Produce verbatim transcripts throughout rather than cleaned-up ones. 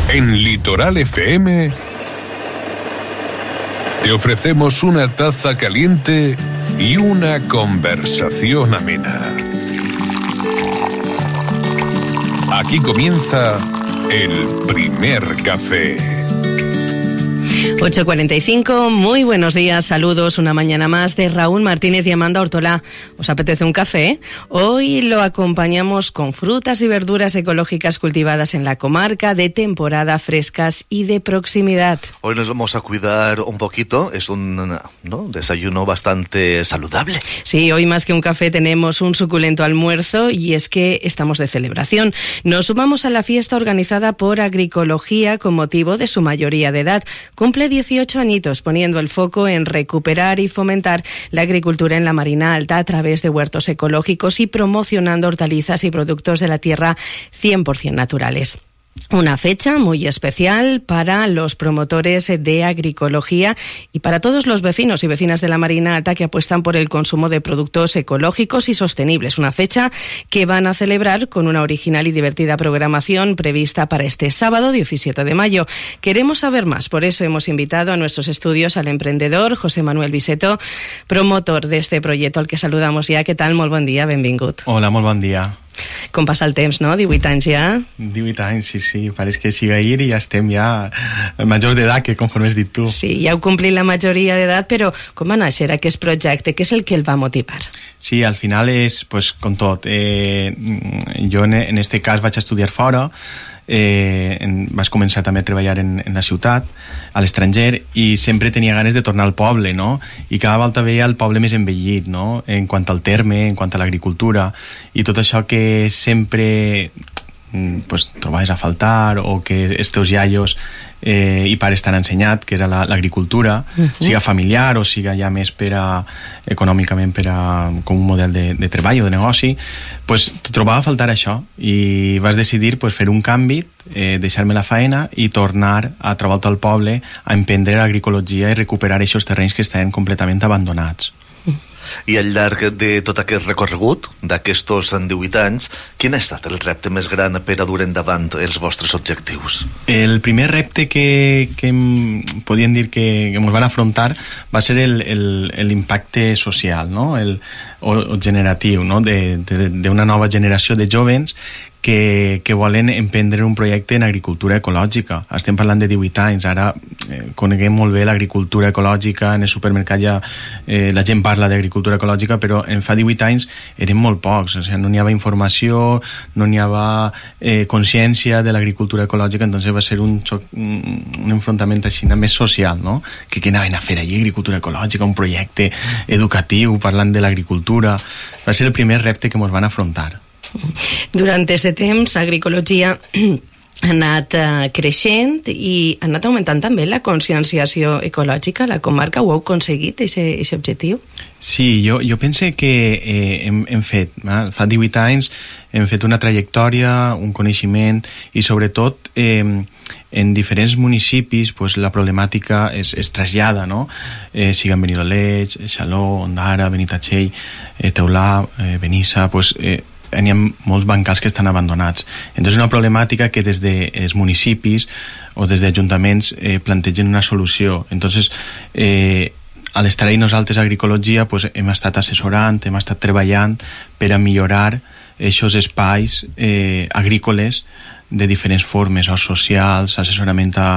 En Litoral F M te ofrecemos una taza caliente y una conversación amena. Aquí comienza el primer café. ocho cuarenta y cinco, muy buenos días, saludos, una mañana más de Raúl Martínez y Amanda Ortolá. ¿Os apetece un café? Hoy lo acompañamos con frutas y verduras ecológicas cultivadas en la comarca, de temporada, frescas y de proximidad. Hoy nos vamos a cuidar un poquito, es un ¿no? desayuno bastante saludable. Sí, hoy más que un café tenemos un suculento almuerzo y es que estamos de celebración. Nos sumamos a la fiesta organizada por Agroecología con motivo de su mayoría de edad. Cumple dieciocho añitos, poniendo el foco en recuperar y fomentar la agricultura en la Marina Alta a través de huertos ecológicos y promocionando hortalizas y productos de la tierra cien por ciento naturales. Una fecha muy especial para los promotores de agroecología y para todos los vecinos y vecinas de la Marina Alta que apuestan por el consumo de productos ecológicos y sostenibles. Una fecha que van a celebrar con una original y divertida programación prevista para este sábado diecisiete de mayo. Queremos saber más, por eso hemos invitado a nuestros estudios al emprendedor José Manuel Biseto, promotor de este proyecto, al que saludamos ja. Què tal? Molt bon dia, benvingut. Hola, molt bon dia. Com passa el temps, no? divuit anys ja? divuit anys, sí, sí. Pareix que siga ahir i ja estem ja majors d'edat, que conforme has dit tu. Sí, ja heu complit la majoria d'edat, però com va néixer aquest projecte? Què és el que el va motivar? Sí, al final és, pues, com tot. Eh, jo en, en este cas vaig estudiar fora, eh, en, vaig començar també a treballar en, en la ciutat, a l'estranger, i sempre tenia ganes de tornar al poble, no? I cada volta veia el poble més envellit, no? En quant al terme, en quant a l'agricultura, i tot això que sempre pues, trobaves a faltar, o que els teus iaios eh, i pares t'han ensenyat, que era l'agricultura, uh-huh. siga familiar o siga ja més per a, econòmicament per a, com un model de, de treball o de negoci, pues, trobava a faltar això i vas decidir pues, fer un canvi, eh, deixar-me la faena i tornar a trobar-te al poble a emprendre l'agroecologia i recuperar aquests terrenys que estaven completament abandonats. I al llarg de tot aquest recorregut d'aquests divuit anys, quin ha estat el repte més gran per a dur endavant els vostres objectius? El primer repte que, que podíem dir que, que ens van afrontar va ser l'impacte social, no? el, o, o generatiu, no? d'una nova generació de jovens que, que volen emprendre un projecte en agricultura ecològica. Estem parlant de divuit anys, ara eh, coneguem molt bé l'agricultura ecològica, en el supermercat ja eh, la gent parla d'agricultura ecològica, però en fa divuit anys eren molt pocs, o sigui, no n'hi havia informació, no n'hi havia eh, consciència de l'agricultura ecològica, entonces va ser un, xoc, un enfrontament així més social, no? Que què anaven a fer allí, agricultura ecològica, un projecte educatiu parlant de l'agricultura. Va ser el primer repte que ens van afrontar. Durant aquest temps, Agroecologia ha anat uh, creixent i ha anat augmentant també la conscienciació ecològica. La comarca ho heu aconseguit, aquest objectiu? Sí, jo, jo pense que eh, hem, hem fet, eh, fa divuit anys hem fet una trajectòria, un coneixement i sobretot eh, en diferents municipis pues, la problemàtica es, es trasllada, no? Eh, siga en Benidoleig, Xaló, Ondara, Benitatxell, eh, Teulà, eh, Benissa, pues, eh, hi ha molts bancals que estan abandonats. Entonces, una problemàtica que des dels municipis o des d'ajuntaments eh, plantegen una solució. Entonces, eh, a l'estar ahí nosaltres a Agroecologia pues, hem estat assessorant, hem estat treballant per a millorar aquests espais eh, agrícoles de diferents formes, o socials, assessorament a,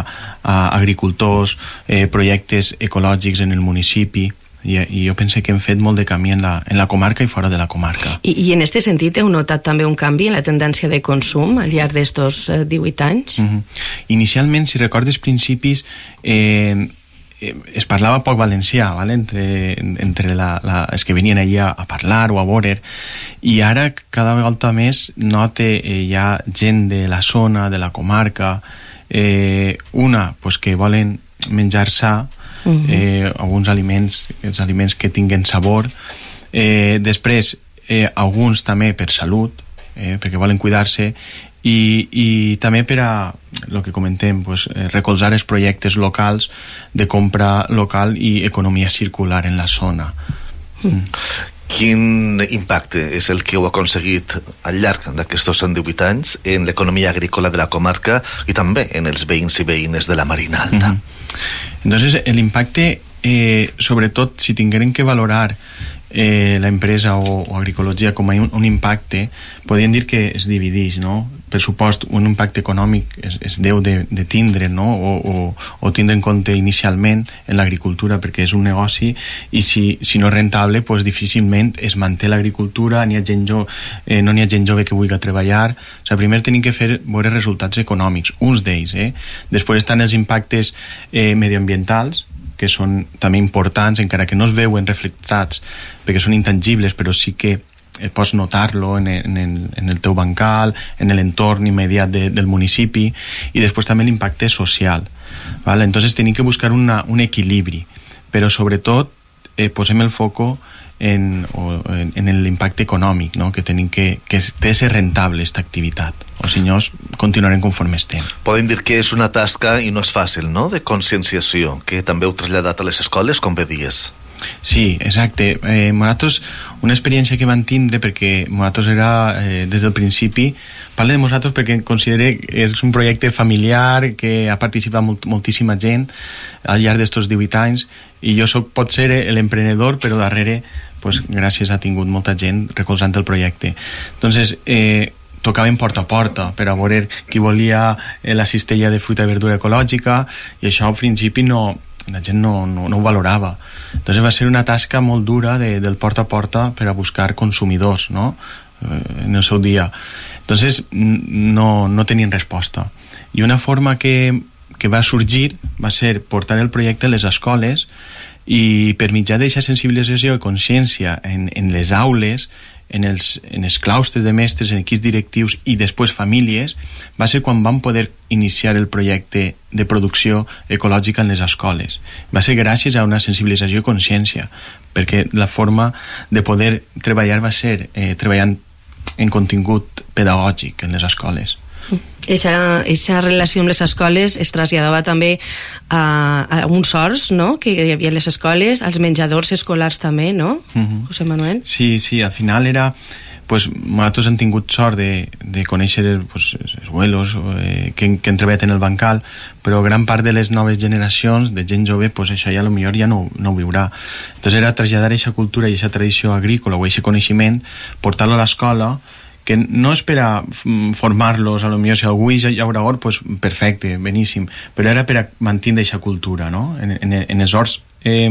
a agricultors, eh, projectes ecològics en el municipi. I, i jo penso que hem fet molt de camí en la, en la comarca i fora de la comarca. I, i en aquest sentit heu notat també un canvi en la tendència de consum al llarg d'estos eh, divuit anys? Mm-hmm. Inicialment, si recordes principis, eh, eh, es parlava poc valencià, ¿vale? entre, entre la, la, els que venien allà a parlar o a veure, i ara cada vegada més note eh, hi ha gent de la zona, de la comarca, eh, una pues, que volen menjar sa, Uh-huh. eh, alguns aliments, els aliments que tinguen sabor, eh, després eh, alguns també per salut, eh, perquè volen cuidar-se, i, i també per a el que comentem, pues, eh, recolzar els projectes locals de compra local i economia circular en la zona. Mm. Quin impacte és el que heu aconseguit al llarg d'aquests divuit anys en l'economia agrícola de la comarca i també en els veïns i veïnes de la Marina Alta? Mm-hmm. Entonces, el impacte, eh, sobretot, si tingueren que valorar eh, la empresa o, o agricologia com a un, un impacte, podríem dir que es divideix, no? Per supost, un impacte econòmic es, es deu de, de tindre, no? o, o, o tindre en compte inicialment en l'agricultura, perquè és un negoci i si, si no és rentable, pues, difícilment es manté l'agricultura, n'hi ha gent jo, eh, no n'hi ha gent jove que vulgui treballar. O sigui, primer tenim que fer veure resultats econòmics, uns d'ells. Eh? Després estan els impactes eh, medioambientals, que són també importants, encara que no es veuen reflectats, perquè són intangibles, però sí que pots notar-lo en, en, en el teu bancal, en l'entorn immediat de, del municipi, i després també l'impacte social. ¿Vale? Entonces tenim que buscar una, un equilibri, però sobretot eh, posem el foco en, o, en, en l'impacte econòmic, no? Que tenim que, que té de ser rentable aquesta activitat, o si no continuarem conforme estem. Podem dir que és una tasca i no és fàcil, no?, de conscienciació, que també heu traslladat a les escoles, com bé dies. Sí, exacte. Eh, nosaltres, una experiència que vam tindre, perquè nosaltres era, eh, des del principi, parlo de nosaltres perquè considero que és un projecte familiar, que ha participat molt, moltíssima gent al llarg d'estos divuit anys, i jo soc, pot ser l'emprenedor, però darrere, pues, gràcies a tingut molta gent recolzant el projecte. Entonces, eh, tocaven porta a porta per a veure qui volia la cistella de fruita i verdura ecològica, i això al principi no... la gent no, no, no ho valorava. Entonces va ser una tasca molt dura de, del porta a porta per a buscar consumidors, no?, eh, en el seu dia. Entonces no, no tenien resposta. I una forma que, que va sorgir va ser portar el projecte a les escoles i per mitjà d'aquesta sensibilització i consciència en, en les aules, en els, en els claustres de mestres, en equips directius i després famílies, va ser quan vam poder iniciar el projecte de producció ecològica en les escoles. Va ser gràcies a una sensibilització i consciència, perquè la forma de poder treballar va ser eh, treballant en contingut pedagògic en les escoles. Aquesta relació amb les escoles es traslladava també a, a uns horts, no?, que hi havia a les escoles, als menjadors escolars també, no, uh-huh. José Manuel? Sí, sí, al final era... Pues, nosaltres hem tingut sort de, de conèixer pues, els abuelos eh, que, que han treballat en el bancal, però gran part de les noves generacions de gent jove, pues, això ja potser ja no, no ho viurà. Entonces era traslladar aquesta cultura i aquesta tradició agrícola o aquest coneixement, portar-lo a l'escola, que no és per a formar-los, a lo millor si algú hi haurà hort, pues perfecte, beníssim, però era per a mantenir aquesta cultura, no?, en, en, en els horts eh,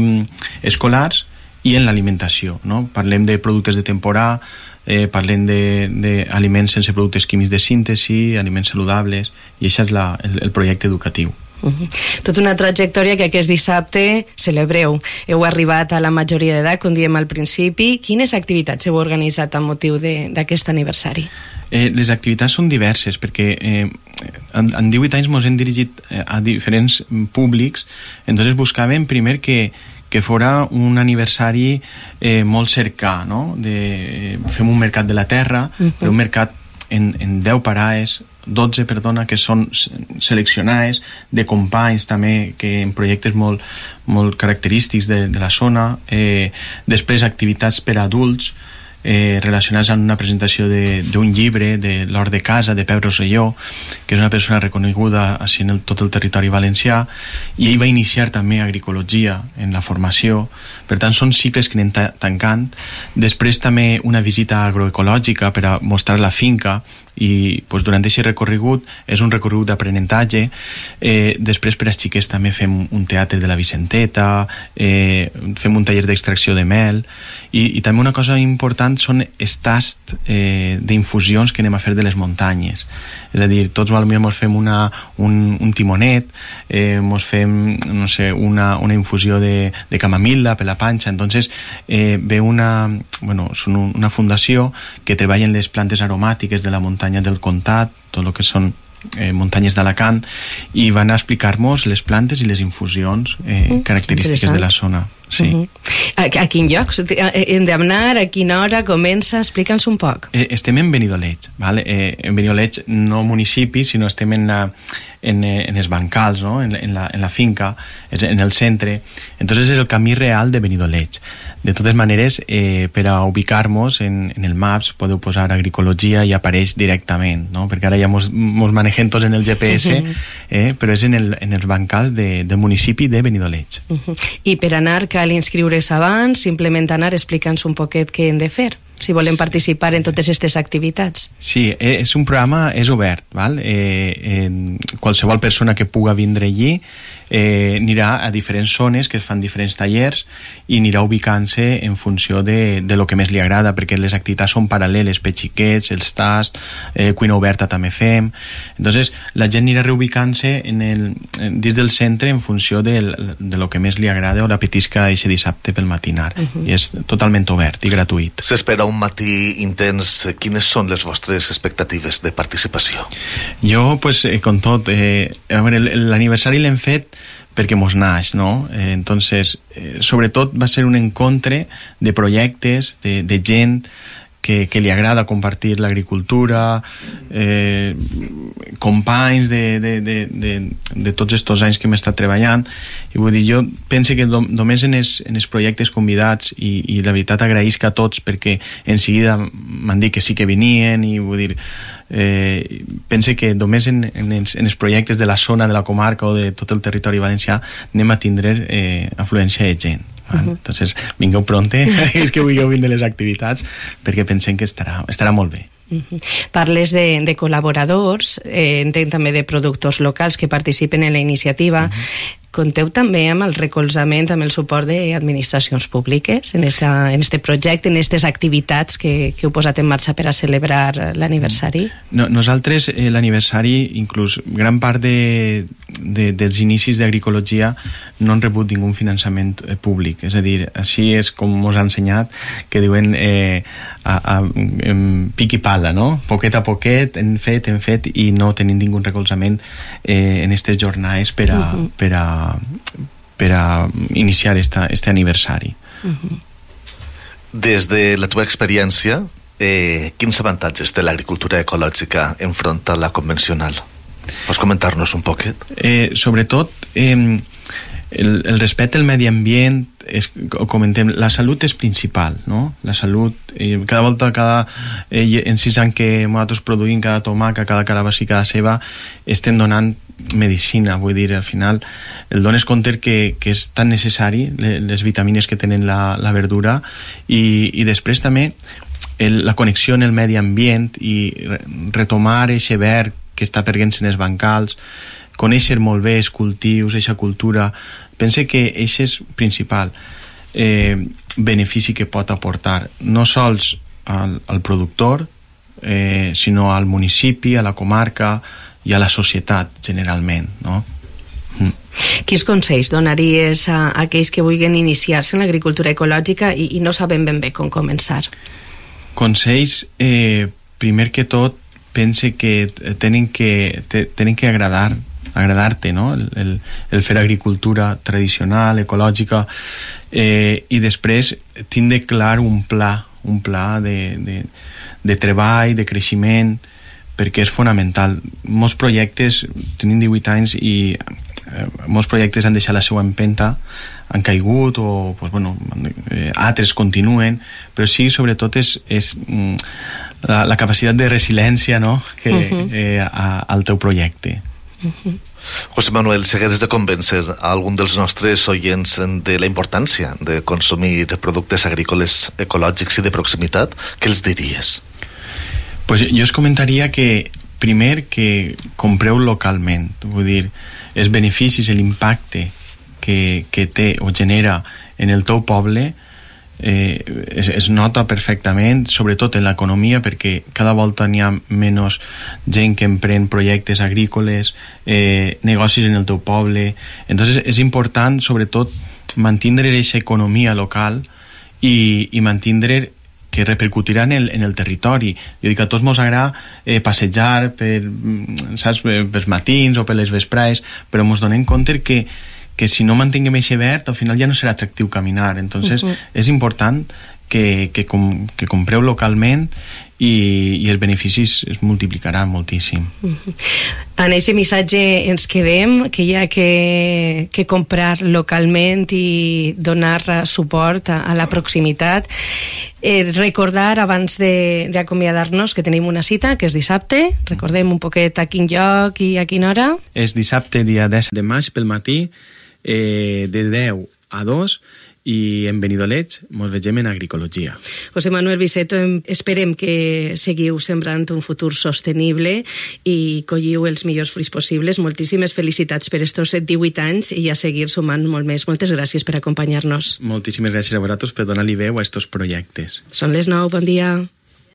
escolars i en l'alimentació, no? Parlem de productes de temporada, eh, parlem d'aliments sense productes químics de síntesi, aliments saludables, i això és la, el, el projecte educatiu. Uh-huh. Tota una trajectòria que aquest dissabte celebreu. Heu arribat a la majoria d'edat, com diem al principi. Quines activitats heu organitzat amb motiu d'aquest aniversari? Eh, les activitats són diverses, perquè eh, en, en divuit anys ens hem dirigit a diferents públics, entonces buscàvem primer que que fora un aniversari eh, molt cercà, no? De, fem un mercat de la terra, uh-huh. però un mercat en, en deu parades, dotze, perdona, que són seleccionades, de companys també, que en projectes molt, molt característics de, de la zona, eh, després activitats per a adults, eh, relacionats amb una presentació d'un llibre de l'Hort de Casa, de Pep Rosselló, que és una persona reconeguda així en el, tot el territori valencià, i ell va iniciar també agricologia en la formació. Per tant, són cicles que anem ta tancant. Després també una visita agroecològica per a mostrar la finca, i pues, durant aquest recorregut és un recorregut d'aprenentatge. Eh, després per als xiquets també fem un teatre de la Vicenteta, eh, fem un taller d'extracció de mel, i, i també una cosa important són els tasts eh, d'infusions que anem a fer de les muntanyes. És a dir, tots potser mos fem una, un, un timonet, eh, mos fem no sé, una, una infusió de, de camamil·la per la panxa. Entonces eh, ve una, bueno, són una fundació que treballa en les plantes aromàtiques de la muntanya del Comtat, tot el que són eh, muntanyes d'Alacant, i van a explicar-nos les plantes i les infusions eh, mm, característiques de la zona. sí. Uh-huh. A, a quin lloc hem d'anar, a quina hora comença? Explica'ns un poc. Eh, estem en Benidoleig, ¿vale? Eh, en Benidoleig no municipi, sinó estem en, la, en, en els bancals, ¿no? en, en, la, en la finca, en el centre. Entonces és el camí real de Benidoleig. De totes maneres, eh, per a ubicar-nos en, en el Maps podeu posar agricologia i apareix directament, no? Perquè ara ja mos, mos manegem tots en el G P S, uh-huh. eh, però és en, el, en els bancals de, del municipi de Benidoleig. Uh-huh. I per anar cal inscriure's abans, simplement anar, explica'ns un poquet què hem de fer, si volem participar en totes aquestes activitats. Sí, és un programa, és obert, val? Eh, eh, qualsevol persona que puga vindre allí eh, anirà a diferents zones que es fan diferents tallers i anirà ubicant-se en funció de, de lo que més li agrada, perquè les activitats són paral·leles, petxiquets, els tasts, eh, cuina oberta també fem. Entonces la gent anirà reubicant-se en el, dins del centre en funció de, de lo que més li agrada o l'apetisca aquest dissabte pel matinar. Uh-huh. I és totalment obert i gratuït. S'espera un matí intens. Quines són les vostres expectatives de participació? Jo, pues, eh, com tot, eh, a veure, l'aniversari l'hem fet perquè mos naix, no? Eh, entonces, eh, sobretot va ser un encontre de projectes, de, de gent que, que li agrada compartir l'agricultura, eh, companys de, de, de, de, de tots estos anys que hem estat treballant, i vull dir, jo penso que do, només en els, en els projectes convidats, i, i la veritat agraïsc a tots perquè en seguida m'han dit que sí que venien, i vull dir, eh, pense que només en, en, els, en els projectes de la zona, de la comarca o de tot el territori valencià anem a tindre eh, afluència de gent. Uh-huh. Entonces, vingueu pronte, és que vulgueu vindre les activitats, perquè pensem que estarà, estarà molt bé. Uh-huh. Parles de, de col·laboradors, eh, entenc també de productors locals que participen en la iniciativa. Uh-huh. Conteu també amb el recolzament, amb el suport d'administracions públiques en, esta, en este projecte, en aquestes activitats que, que heu posat en marxa per a celebrar l'aniversari? No, nosaltres, eh, l'aniversari, inclús gran part de, de, dels inicis d'agricologia no han rebut ningú finançament eh, públic. És a dir, així és com ens ha ensenyat, que diuen eh, a, a, a pic i pala, no? Poquet a poquet, hem fet, hem fet, i no tenim ningú recolzament eh, en aquestes jornades per a, uh-huh. per a per a iniciar esta, este aniversari. Uh-huh. Des de la teva experiència, eh, quins avantatges té l'agricultura ecològica enfront a la convencional? Pots comentar-nos un poquet? Eh, sobretot, eh, el, el respecte al medi ambient, és, comentem, la salut és principal, no? La salut, eh, cada volta, cada, eh, en sis anys que nosaltres produïm cada tomaca, cada carabassa i cada ceba, estem donant medicina, vull dir, al final el dones compte que, que és tan necessari les vitamines que tenen la, la verdura, i, i després també el, la connexió en el medi ambient i retomar eixe verd que està perdent-se en els bancals, conèixer molt bé els cultius, eixa cultura. Pense que això és principal eh, benefici que pot aportar no sols al, al productor, eh, sinó al municipi, a la comarca i a la societat generalment, no? Mm. Quins consells donaries a, a aquells que vulguin iniciar-se en l'agricultura ecològica i, i no saben ben bé com començar? Consells, eh, primer que tot, pense que tenen que, te, tenen que agradar agradar-te, no? El, el, el fer agricultura tradicional, ecològica, eh, i després tindre clar un pla, un pla de, de, de treball, de creixement, perquè és fonamental. Molts projectes, tenim divuit anys i eh, molts projectes han deixat la seva empenta, han caigut o pues, bueno, eh, altres continuen, però sí, sobretot és, és mm, la, la capacitat de resiliència, no? que, uh-huh. eh, a, al teu projecte. Uh-huh. José Manuel, si hagués de convèncer a algun dels nostres oients de la importància de consumir productes agrícoles ecològics i de proximitat, què els diries? Pues jo us comentaria que primer que compreu localment, vull dir, els beneficis, l'impacte que, que té o genera en el teu poble eh, es, es nota perfectament, sobretot en l'economia, perquè cada volta n'hi ha menys gent que emprèn projectes agrícoles, eh, negocis en el teu poble. Entonces és important sobretot mantindre aquesta economia local i, i mantindre que repercutirà en el, en el territori. Jo dic, a tots mos agrada eh, passejar per, saps, per, pels matins o per les vesprades, però mos donem compte que, que si no mantinguem aquest verd, al final ja no serà atractiu caminar. Entonces, uh-huh. és important que, que, com, que compreu localment i, i els beneficis es multiplicaran moltíssim. Uh-huh. En aquest missatge ens quedem, que hi ha que, que comprar localment i donar suport a, a la proximitat. Eh, recordar, abans d'acomiadar-nos, que tenim una cita, que és dissabte. Recordem un poquet a quin lloc i a quina hora. És dissabte, dia deu de maig, pel matí, eh, de deu a dos, i en Benidolets ens vegem en agricologia. José Manuel Viceto, esperem que seguiu sembrant un futur sostenible i colliu els millors fruits possibles. Moltíssimes felicitats per estos divuit anys i a seguir sumant molt més. Moltes gràcies per acompanyar-nos. Moltíssimes gràcies a vosaltres per donar-li veu a estos projectes. Són les nou, bon dia.